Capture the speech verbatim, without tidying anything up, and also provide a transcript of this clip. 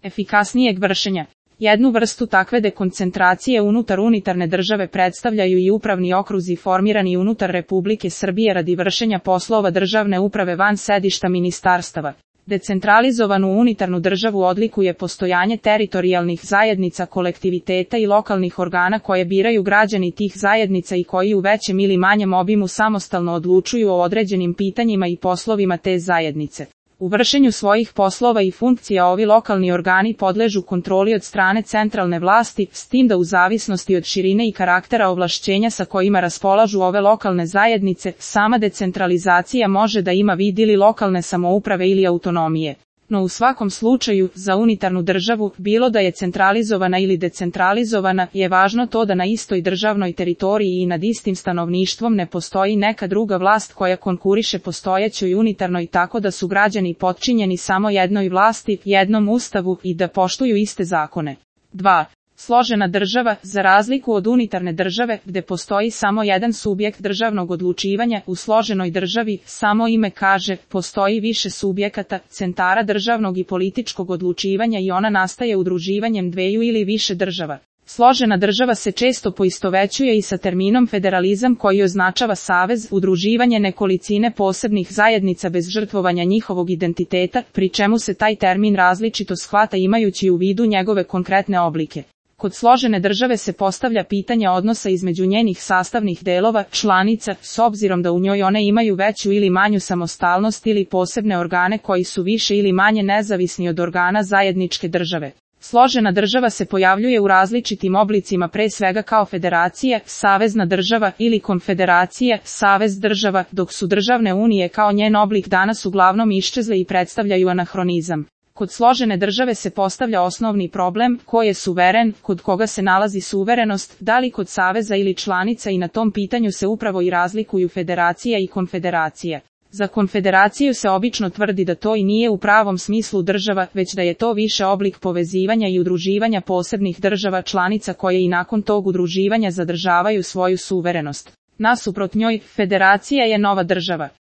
efikasnijeg vršenja. Jednu vrstu takve dekoncentracije unutar unitarne države predstavljaju i upravni okruzi formirani unutar Republike Srbije radi vršenja poslova državne uprave van sedišta ministarstava. Decentralizovanu unitarnu državu odlikuje postojanje teritorijalnih zajednica, kolektiviteta i lokalnih organa koje biraju građani tih zajednica i koji u većem ili manjem obimu samostalno odlučuju o određenim pitanjima i poslovima te zajednice. U vršenju svojih poslova i funkcija ovi lokalni organi podležu kontroli od strane centralne vlasti, s tim da u zavisnosti od širine i karaktera ovlašćenja sa kojima raspolažu ove lokalne zajednice, sama decentralizacija može da ima vid ili lokalne samouprave ili autonomije. No u svakom slučaju, za unitarnu državu, bilo da je centralizovana ili decentralizovana, je važno to da na istoj državnoj teritoriji i nad istim stanovništvom ne postoji neka druga vlast koja konkuriše postojećoj unitarnoj, tako da su građani potčinjeni samo jednoj vlasti, jednom ustavu i da poštuju iste zakone. dva. Složena država, za razliku od unitarne države, gde postoji samo jedan subjekt državnog odlučivanja, u složenoj državi, samo ime kaže, postoji više subjekata, centara državnog i političkog odlučivanja i ona nastaje udruživanjem dveju ili više država. Složena država se često poistovećuje i sa terminom federalizam koji označava savez, udruživanje nekolicine posebnih zajednica bez žrtvovanja njihovog identiteta, pri čemu se taj termin različito shvata imajući u vidu njegove konkretne oblike. Kod složene države se postavlja pitanje odnosa između njenih sastavnih delova, članica, s obzirom da u njoj one imaju veću ili manju samostalnost ili posebne organe koji su više ili manje nezavisni od organa zajedničke države. Složena država se pojavljuje u različitim oblicima, pre svega kao federacija, savezna država ili konfederacija, savez država, dok su državne unije kao njen oblik danas uglavnom iščezle i predstavljaju anahronizam. Kod složene države se postavlja osnovni problem, ko je suveren, kod koga se nalazi suverenost, da li kod saveza ili članica, i na tom pitanju se upravo i razlikuju federacija i konfederacija. Za konfederaciju se obično tvrdi da to i nije u pravom smislu država, već da je to više oblik povezivanja i udruživanja posebnih država članica koje i nakon tog udruživanja zadržavaju svoju suverenost. Nasuprot njoj, federacija je nova država.